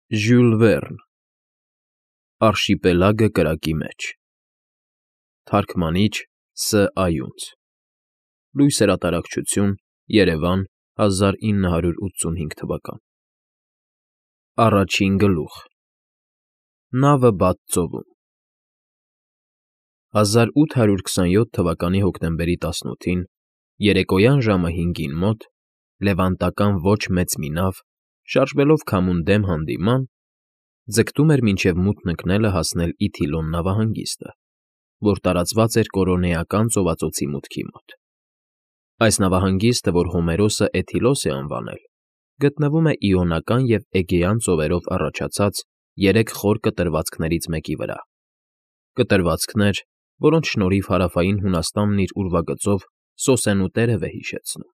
Ժյուլ Վերն Արշիպելագը կրակի մեջ Թարգմանիչ Ս. Այունց Լույս հրատարակչություն Երևան 1985 թվական Առաջին գլուխ Նավը բաց ծովում 1827 թվականի հոկտեմբերի 18-ին երեկոյան ժամը 5-ին մոտ լևանտական ոչ մեծ մի նավ շարժվելով քամուն դեմ հանդիման ձգտում էր մինչև մութն ընկնելը հասնել Իթիլոն նավահանգիստը, որ տարածված էր Կորոնեական ծովածոցի մուտքի մոտ։ Այս նավահանգիստը, որ Հոմերոսը Էթիլոս է անվանել, գտնվում է Իոնական և Էգեյան ծովերով առաջացած երեք խոր կտրվածքներից մեկի վրա։ Կտրվածքներ, որոնց շնորհիվ հարավային Հունաստանն իր ուրվագծով սոսենու տերև է հիշեցնում։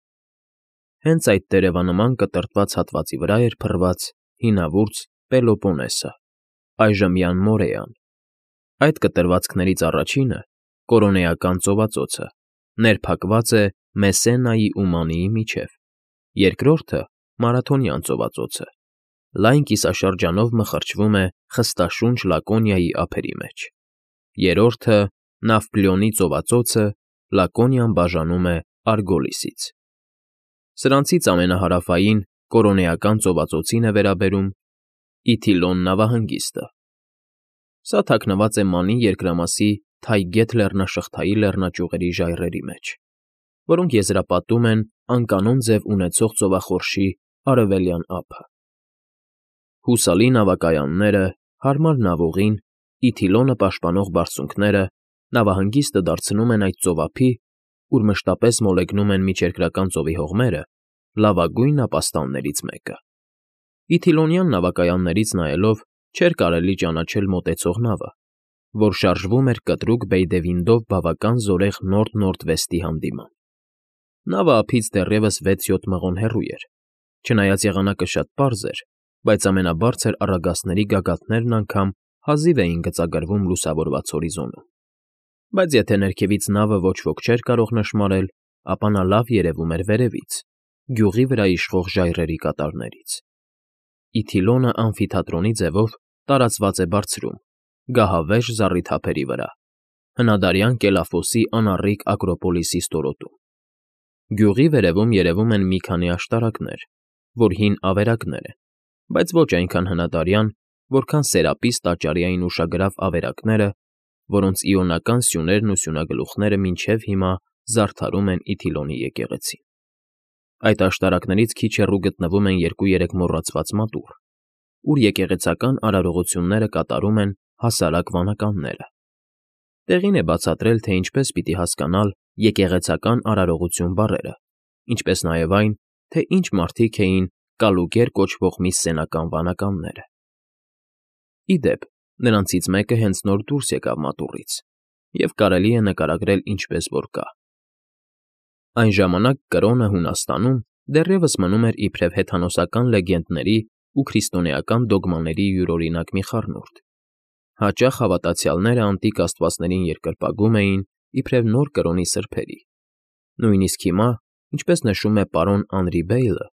Հենց այդ տերևանման կտրտված հատվածի վրա էր փռված հինավուրց Պելոպոնեսը, այժմյան Մորեան։ Այդ կտրվածքներից առաջինը, Կորոնեական ծովածոցը, ներփակված է Մեսենայի ու Մանիի միջև, երկրորդը՝ Մարաթոնյան ծովածոցը, լայն կիսաշրջանով մխրճվում է խստաշունչ Լակոնիայի ափերի մեջ, երրորդը՝ Նավպլիոնի ծովածոցը, Լակոնիան բաժանում է Արգոլիսից։ Սրանցից ամենահարավային Կորոնեական ծովածոցին է վերաբերում Իթիլոն նավահանգիստը։ Սա թաքնված է Մանի երկրամասի թայգետ լեռնաշղթայի լեռնաճյուղերի ժայռերի մեջ, որոնք եզրապատում են անկանոն ձև ունեցող ծովախորշի արևելյան ափը։ Հուսալի նավակայանները, հարմար նավուղին, Իթիլոնը պաշտպանող բարձունքները նավահանգիստը դարձնում են այդ ծովափի, ուր մշտապես մոլեգնում են Միջերկրական ծովի հողմերը, լավագույն ապաստաններից մեկը։ Իթիլոնյան նավակայաններից նայելով չէր կարելի ճանաչել մոտեցող նավը, որ շարժվում էր կտրուկ Բեյդևինդով բավական զորեղ նորդ֊նորդվեստի հանդիման։ Նավը ափից դեռևս 6-7 մղոն հեռու էր, չնայած եղանակը շատ պարզ էր, բայց ամենաբարձր առագաստների գագաթներն անգամ հազիվ էին գծագրվում լուսավորված հորիզոնում։ Բայց եթե ներքևից նավը ոչ ոք չէր կարող նշմարել, ապա նա լավ երևում էր վերևից, գյուղի վրա իշխող ժայռերի կատարներից։ Իթիլոնը ամֆիթատրոնի ձևով տարածված է բարձրում, գահավեժ զառիթափերի վրա, հնադարյան Կելաֆոսի անառիկ Ակրոպոլիսի ստորոտում։ Գյուղի վերևում երևում են մի քանի աշտարակներ, որ հին ավերակներ են, բայց ոչ այնքան հնադարյան, որքան Սերապիս տաճարի այն ուշագրավ ավերակները, որոնց իոնական սյուներն ու սյունագլուխները մինչև հիմա զարդարում են Իթիլոնի եկեղեցին։ Այդ աշտարակներից քիչ հեռու գտնվում են 2-3 մոռացված մատուռ, ուր եկեղեցական արարողությունները կատարում են հասարակ վանականները։ Տեղին է բացատրել, թե ինչպես պիտի հասկանալ եկեղեցական արարողություն բառերը, ինչպես նաև այն, թե ինչ մարդիկ էին Կալուգեր կոչվող մի սենական վանականները։ Ի դեպ, նրանցից մեկը հենց նոր դուրս եկավ մատուռից, և կարելի է նկարագրել ինչպես որ կա։ Այն ժամանակ Կրոնը Հունաստանում դեռևս մնում էր իբրև հեթանոսական լեգենդների ու քրիստոնեական դոգմաների յուրօրինակ մի խառնուրդ։ Հաճախ հավատացյալները անտիկ աստվածներին երկրպագում էին իբրև նոր Կրոնի սրբերի։ Նույնիսկ հիմա, ինչպես նշում է պարոն Անրի Բեյլը,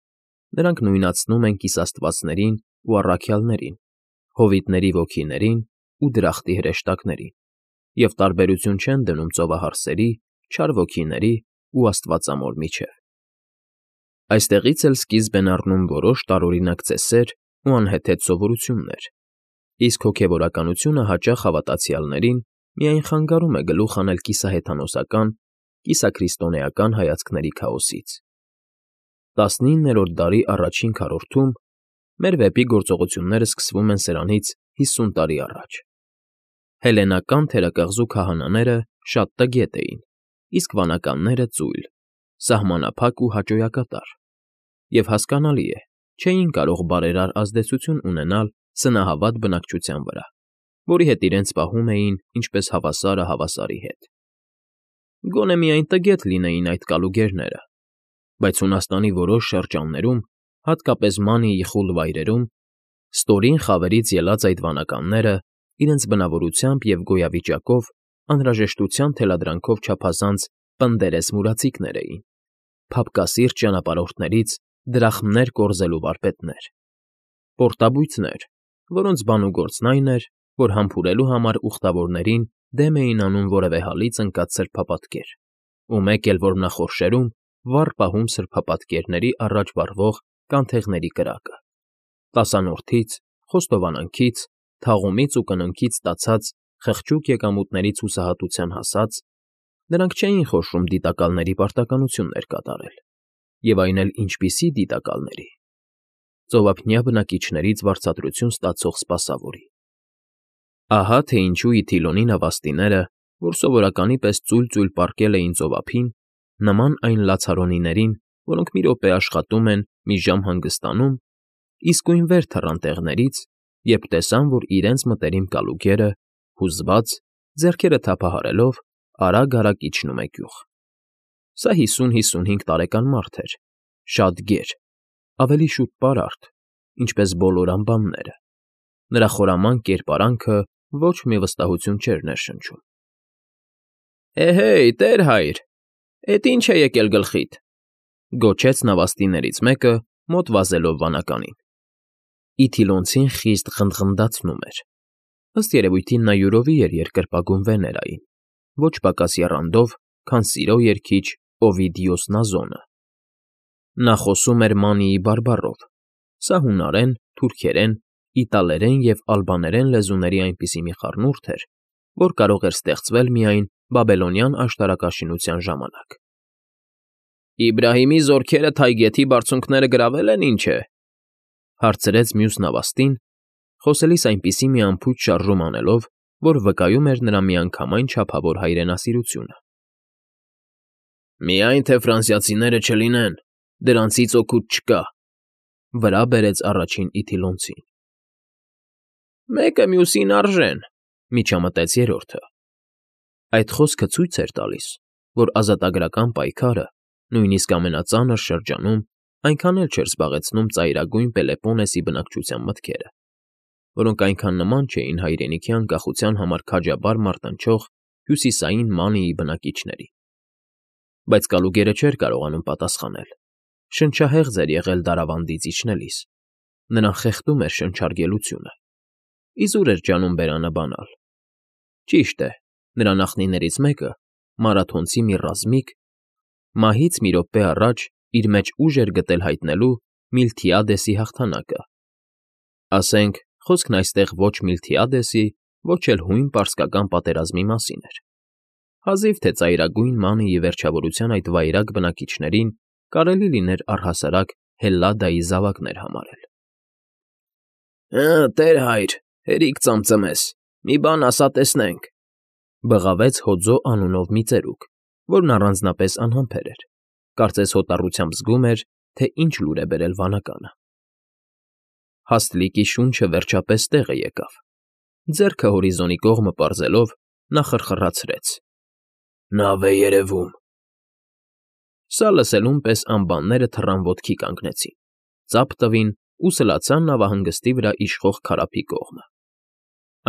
նրանք նույնացնում են կիսաստվածներին ու առաքյալներին, հովիտների ոգիներին ու դրախտի հրեշտակներին, և տարբերություն չեն դնում ծովահարսերի, չար ոգիների ու աստվածամոր միջև։ Այստեղից էլ սկիզբ են առնում որոշ տարօրինակ ծեսեր ու անհեթեթ սովորություններ, իսկ հոգևորականությունը հաճախ հավատացյալներին միայն խանգարում է գլուխ հանել կիսահեթանոսական, կիսաքրիստոնեական հայացքների քաոսից։ 19-րդ դարի առաջին քառորդում մեր վեպի գործողությունները սկսվում են սրանից 50 տարի առաջ։ Հելենական թերակղզու քահանաները շատ տգետ էին, իսկ վանականները ծույլ, սահմանափակ ու հաճոյակատար, և հասկանալի է, չէին կարող բարերար ազդեցություն ունենալ սնահավատ բնակչության վրա, որի հետ իրենց պահում էին ինչպես հավասարը հավասարի հետ։ Գոնե միայն տգետ լինեին այդ կալուգերները, բայց Հունաստանի որոշ շրջաններում, հատկապես Մանիի խուլ վայրերում, ստորին խավերից ելած այդ վանականները իրենց բնավորությամբ և գոյավիճակով անհրաժեշտության թելադրանքով չափազանց պնդերես մուրացիկներ էին, փափկասիրտ ճանապարհորդներից դրախմներ կորզելու վարպետներ, պորտաբույծներ, որոնց բանուգործն այն էր, որ համբուրելու համար ուխտավորներին դեմ էին անում որևէ հալից ընկած սրբապատկեր, ու մեկ էլ որ նախորշերում վառ պահում սրբապատկերների առաջ վառվող կանթեղների կրակը, տասանորդից, խոստովանանքից, թաղումից ու կննքից ստացած խղճուկ եկամուտներից հուսահատության հասած, նրանք չէին խոշորում դիտակալների պարտականություններ կատարել, և այն էլ ինչպիսի դիտակալների, ծովափնյա բնակիչներից վարձատրություն ստացող սպասավորի։ Ահա թե ինչու Իթիլոնի նավաստիները, որ սովորականի պես ծույլ-ծույլ պառկել էին ծովափին, նման այն լացարոնիներին, որոնք մի րոպե աշխատում են, մի ժամ հանգստանում, իսկույն վեր թռան տեղներից, երբ տեսան, որ իրենց մտերիմ կալուգերը, հուզված, ձեռքերը թափահարելով, արագ֊արագ իջնում է գյուղ։ Սա 50-55 տարեկան մարդ էր, շատ գեր, ավելի շուտ պարարտ, ինչպես բոլոր անբանները։ Նրա խորամանկ կերպարանքը ոչ մի վստահություն չէր ներշնչում։ «Էհեյ, տեր֊հայր, էդ ի՞նչ է եկել գլխիդ», գոչեց նավաստիներից մեկը, մոտ վազելով վանականին։ Իթիլոնցին խիստ ղնդղնդացնում էր։ Ըստ երևույթին նա յուրովի էր երկրպագում Վեներային, ոչ պակաս եռանդով, քան սիրո երգիչ Օվիդիոս Նազոնը։ Նա խոսում էր Մանիի բարբառով, սա հունարեն, թուրքերեն, իտալերեն և ալբաներեն լեզուների այնպիսի մի խառնուրդ էր, որ կարող էր ստեղծվել միայն բաբելոնյան աշտարակաշինության ժամանակ։ «Իբրահիմի զորքերը Թայգեթի բարձունքները գրավել են, ինչ է», հարցրեց մյուս նավաստին, խոսելիս այնպիսի մի անփույթ շարժում անելով, որ վկայում էր նրա միանգամայն չափավոր հայրենասիրությունը։ «Միայն թե ֆրանսիացիները չլինեն, դրանցից օգուտ չկա», վրա բերեց առաջին Իթիլոնցին։ «Մեկը մյուսին արժեն», միջամտեց երրորդը։ Այդ խոսքը ցույց էր տալիս, որ ազատագրական պայքարը, նույնիսկ ամենածանր շրջանում, այնքան էլ չէր զբաղեցնում ծայրագույն Պելեպոնեսի բնակչության մտքերը, որոնք այնքան նման չէին հայրենիքի անկախության համար քաջաբար մարտնչող հյուսիսային Մանիի բնակիչների։ Բայց կալուգերը չէր կարողանում պատասխանել, շնչահեղձ էր եղել դարավանդից իջնելիս, նրան խեղդում էր շնչարգելությունը, իզուր էր ջանում բերանը բանալ։ Ճիշտ է, նրա նախնիներից մեկը, մարաթոնցի մի ռազմիկ, մահից մի րոպե առաջ իր մեջ ուժ էր գտել հայտնելու Միլթիադեսի հաղթանակը։ Ասենք, խոսքն այստեղ ոչ Միլթիադեսի, ոչ էլ հույն պարսկական պատերազմի մասին էր։ Հազիվ թե ծայրագույն Մանիի վերջավորության այդ վայրագ բնակիչներին կարելի լիներ առհասարակ Հելլադայի զավակներ համարել։ Տեր֊հայր, հերիք ծամծմես, մի բան ասա տեսնենք, բղավեց Հոձո անունով մի ծերուկ, որն առանձնապես անհամբեր էր, կարծես հոտառությամբ զգում էր, թե ինչ լուր է բերել վանականը։ Հաստլիկի շունչը վերջապես տեղը եկավ։ Ձեռքը հորիզոնի կողմը պարզելով, նա խրխռացրեց. «Նավ է երևում»։ Սա լսելուն պես անբանները թռան ոտքի կանգնեցին, ծափ տվին ու սլացան նավահանգստի վրա իշխող քարափի կողմը։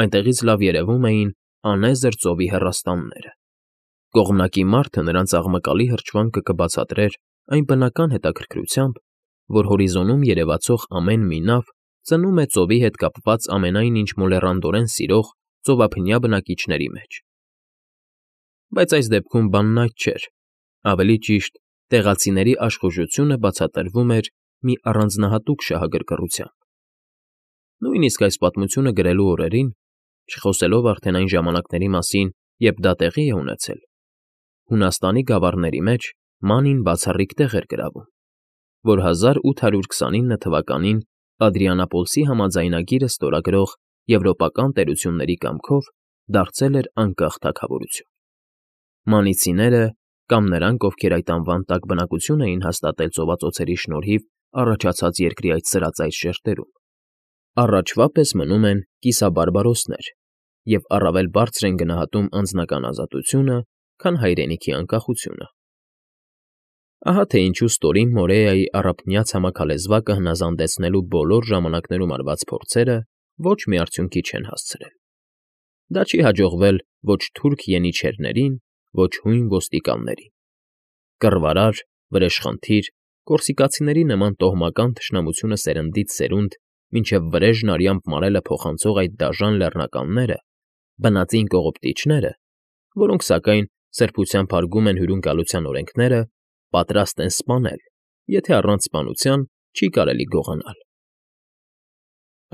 Այնտեղից լավ երևում էին անեզր ծովի հեռաստանները։ Կողմնակի մարդը նրանց աղմկալի հրճվանքը կբացատրեր այն բնական հետաքրքրությամբ, որ հորիզոնում երևացող ամեն մի նավ ծնում է ծովի հետ կապված ամենայն ինչ մոլեռանդորեն սիրող ծովափնյա բնակիչների մեջ։ Բայց այս դեպքում բանն այդ չէր, ավելի ճիշտ, տեղացիների աշխուժությունը բացատրվում էր մի առանձնահատուկ շահագրգռությամբ։ Նույնիսկ այս պատմությունը գրելու օրերին, չխոսելով արդեն այն ժամանակների մասին, երբ դա տեղի է ունեցել, Հունաստանի գավառների մեջ Մանին բացառիկ տեղ էր գրավում, որ 1829 թվականին Ադրիանապոլսի համաձայնագիրը ստորագրող եվրոպական տերությունների կամքով դարձել էր անկախ թագավորություն։ Մանիցիները, կամ նրանք, ովքեր այդ անվան տակ բնակություն էին հաստատել ծովածոցերի շնորհիվ առաջացած երկրի այդ սրածայր շերտերում, առաջվա պես մնում են կիսաբարբարոսներ և առավել բարձր են գնահատում անձնական ազատությունը, քան հայրենիքի անկախությունը։ Ահա թե ինչու ստորին Մորեայի առափնյա ցամաքալեզվակը հնազանդեցնելու բոլոր ժամանակներում արված փորձերը ոչ մի արդյունքի չեն հասցրել։ Դա չի հաջողվել ոչ թուրք ենիչերներին, ոչ հույն ոստիկաններին։ Կռվարար, վրեժխնդիր, կորսիկացիների նման տոհմական թշնամությունը սերնդից սերունդ մինչև վրեժն արյամբ մարելը փոխանցող այդ դաժան լեռնականները, բնածին կողոպտիչները, որոնք, սակայն, սրբությամբ հարգում են հյուրընկալության օրենքները, պատրաստ են սպանել, եթե առանց սպանության չի կարելի գողանալ։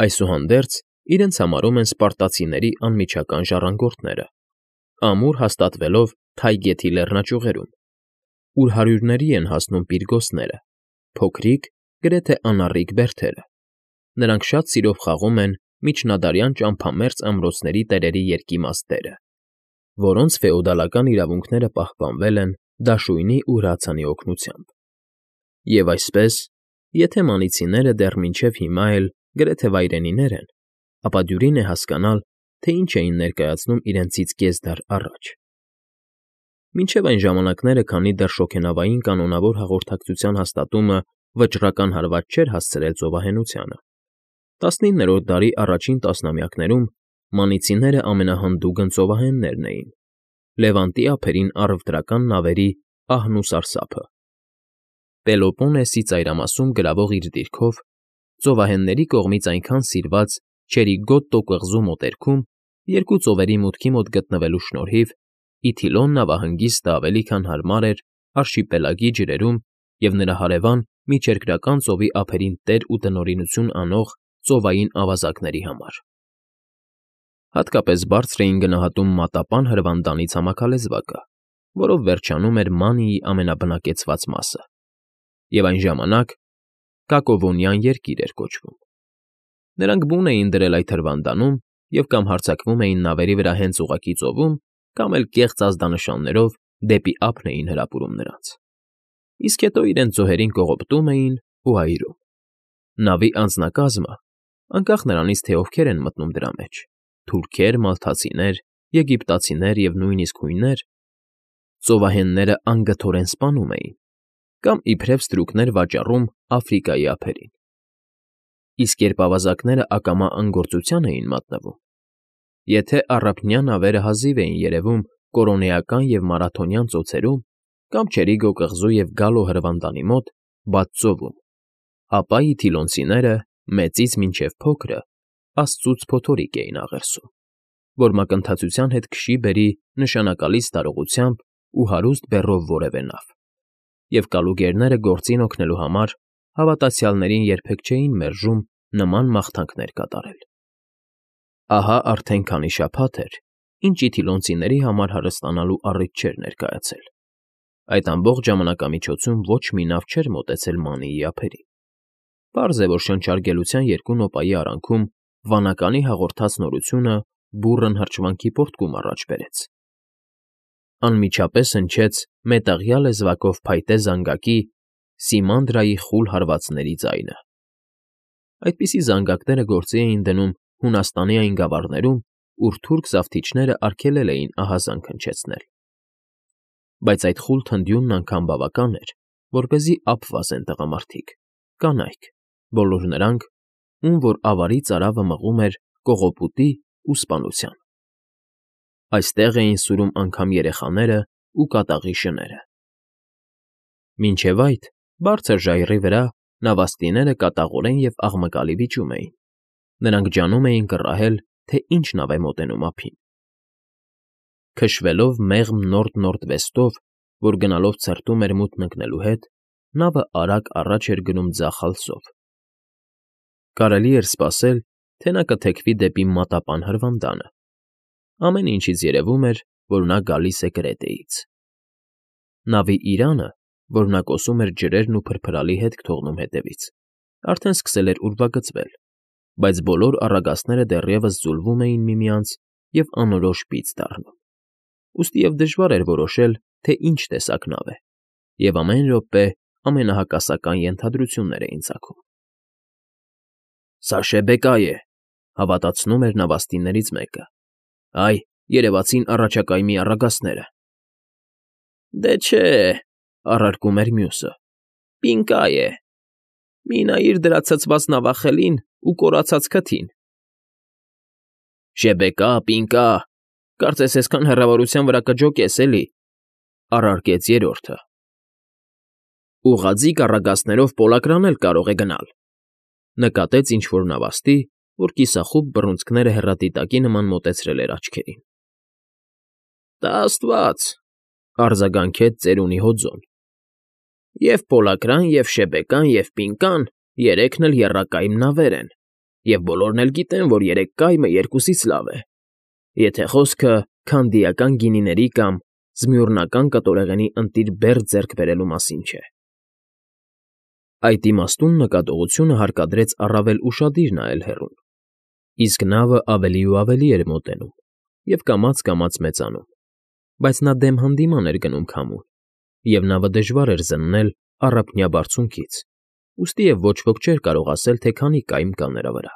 Այսուհանդերձ իրենց համարում են սպարտացիների անմիջական ժառանգորդները, ամուր հաստատվելով Թայգեթի լեռնաճյուղերում, ուր հարյուրների են հասնում պիրգոսները, փոքրիկ, գրեթե անառիկ բերդերը։ Նրանք շատ սիրով խաղում են միջնադարյան ճամփամերձ ամրոցների տերերի երկիմաց դերը, որոնց ֆեոդալական իրավունքները պահպանվել են դաշույնի ու հրացանի օգնությամբ։ Եվ այսպես, եթե մանիցիները դեռ մինչև հիմա էլ գրեթե վայրենիներ են, ապա դյուրին է հասկանալ, թե ինչ էին ներկայացնում իրենցից կես դար առաջ։ Մինչև այն ժամանակները, քանի դեռ շոգենավային կանոնավոր հաղորդակցության հաստատումը վճռական հարված չէր հասցրել ծովահենությանը, 19-րդ դարի առաջին տասնամյակներում մանիցիները ամենահանդուգն ծովահեններն էին, Լևանտի ափերին առևտրական նավերի ահն ու սարսափը։ Պելոպոնեսի ծայրամասում գրավող իր դիրքով, ծովահենների կողմից այնքան սիրված Չերիգոտտո կղզու մոտերքում երկու ծովերի մուտքի մոտ գտնվելու շնորհիվ Իթիլոն նավահանգիստը ավելի քան հարմար էր արշիպելագի ջրերում և նրա հարևան միջերկրական ծովի ափերին տեր ու տնօրինություն անող ծովային ավազակների համար։ Հատկապես բարձր էին գնահատում մատապան հրվանդանի ցամաքալեզվակը, որով վերջանում էր Մանիի ամենաբնակեցված մասը, և այն ժամանակ Կակովոնյան երկիր էր կոչվում։ Նրանք բուն էին դրել այդ հրվանդանում և կամ հարձակվում էին նավերի վրա հենց ուղղակի ծովում, կամ էլ կեղծ ազդանշաններով դեպի ափն էին հրապուրում նրանց, իսկ հետո իրենց զոհերին կողոպտում էին ու այրում։ Նավի անձնակազմը, անկախ նրանից, թե ովքեր են մտնում դրա մեջ՝ թուրքեր, մալթացիներ, եգիպտացիներ և նույնիսկ հույներ, ծովահենները անգթորեն սպանում էին կամ իբրև ստրուկներ վաճառում Աֆրիկայի ափերին։ Իսկ երբ ավազակները ակամա անգործության էին մատնվում, եթե առափնյա նավերը հազիվ էին երևում Կորոնեական և Մարաթոնյան ծոցերում կամ Չերիգո կղզու և Գալո հրվանդանի մոտ, բաց ծովում, ապա իթիլոնցիները, մեծից մինչև փոքրը, աստծուց փոթորիկ էին աղերսում, որ մակընթացության հետ քշի բերի նշանակալից տարողությամբ ու հարուստ բեռով որևէ նավ, և կալուգերները գործին օգնելու համար հավատացյալներին երբեք չէին մերժում նման մաղթանքներ կատարել։ Ահա արդեն քանի շաբաթ էր, ինչ իթիլոնցիների համար հարստանալու առիթ չէր ներկայացել։ Այդ ամբողջ ժամանակամիջոցում ոչ մի նավ չէր մոտեցել Մանիի ափերին։ Պարզ է, որ շնչարգելության երկու նոպայի արանքում վանականի հաղորդած նորությունը բուռն հրճվանքի պոռթկում առաջ բերեց։ Անմիջապես հնչեց մետաղյա լեզվակով փայտե զանգակի Սիմանդրայի խուլ հարվածների ձայնը։ Այդպիսի զանգակները գործի էին դնում Հունաստանի այն գավառներում, ուր թուրք զավթիչները արգելել էին ահազանգ հնչեցնել։ Բայց այդ խուլ թնդյունն անգամ բավական էր, որպեսզի ափ վազեն տղամարդիկ, կանայք, բոլոր նրանք, ում որ ավարի ծարավը մղում էր կողոպուտի ու սպանության։ Այստեղ էին սուրում անգամ երեխաները ու կատաղի շները։ Մինչև այդ, բարձր ժայռի վրա նավաստիները կատաղորեն և աղմկալի վիճում էին։ Նրանք ջանում էին կռահել, թե ինչ նավ է մոտենում ափին։ Քշվելով մեղմ նորդ֊նորդվեստով, որ գնալով ցրտում էր մութն ընկնելու հետ, նավը արագ առաջ էր գնում ձախ ալսով։ Կարելի էր սպասել, թե նա կթեքվի դեպի մատապան հրվանդանը։ Ամեն ինչից երևում էր, որ նա գալիս է Կրետեից։ Նավի իրանը, որ նա կոսում էր ջրերն ու փրփրալի հետք թողնում հետևից, արդեն սկսել էր ուրվագծվել, բայց բոլոր առագաստները դեռևս ձուլվում էին միմյանց և անորոշ պիծ դառնում։ Ուստիև դժվար էր որոշել, թե ինչ տեսակ նավ է, և ամեն րոպե ամենահակասական ենթադրություններ էին ծագում։ «Սա Շեբեկա է», հավատացնում էր նավաստիներից մեկը։ «Այ, երևացին առաջակայմի առագաստները»։ «Դե չէ,֊ առարկում էր մյուսը,֊ պինկա է։ Մի նայիր դրա ցցված նավախելին ու կորացած քթին»։ «Շեբեկա, պինկա, կարծես այսքան հեռավորության վրա կջոկես, էլի», առարկեց երրորդը։ «Ուղղաձիգ առագաստներով պոլակրան էլ կարող է գնալ», Նկատեց ինչ֊որ նավաստի, որ կիսախուտ բռունցքները հեռատիտակի նման մոտեցրել էր աչքերին։ ֊ Տա աստված,֊ արձագանքեց ծերունի հոձոն։֊ Եվ պոլակրան, և շեբեկան, և պինկան երեքն էլ եռակայմ նավեր են, և բոլորն էլ գիտեն, որ երեկ կայմը երկուսից լավ է, եթե խոսքը քանդիական գինիների կամ Զմյուռնական կտորեղենի ընտիր բերդ ձեռք բերելու մասին չէ։ Այդ իմաստուն նկատողությունը հարկադրեց առավել ուշադիր նայել հեռուն, իսկ նավը ավելի ու ավելի էր մոտենում և կամաց֊կամաց մեծանում, բայց նա դեմ հանդիման էր գնում քամուն, և նավը դժվար էր զննել առափնյա բարձունքից, ուստի և ոչ ոք չէր կարող ասել, թե քանի կայմ կա նրա վրա՝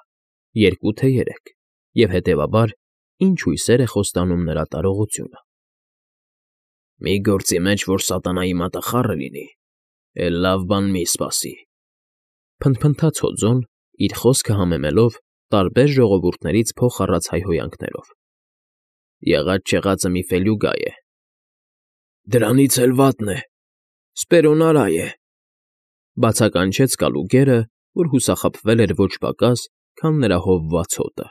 երկու, թե երեք, և, հետևաբար, ինչ հույսեր է խոստանում նրա տարողությունը։ ֊ Մի գործի մեջ, որ սատանայի մատախառը լինի, էլ լավ բան մի՛ սպասի,֊ փնթփնթաց հոձոն, իր խոսքը համեմելով տարբեր ժողովուրդներից փող առած հայհոյանքներով։֊ Եղած֊չեղածը մի ֆելյուկա է։ ֊ Դրանից էլ վատն է, սպերոնարայ է,֊ բացականչեց կալուկերը, որ հուսախաբվել էր ոչ պակաս, քան նրա հովված հոտը։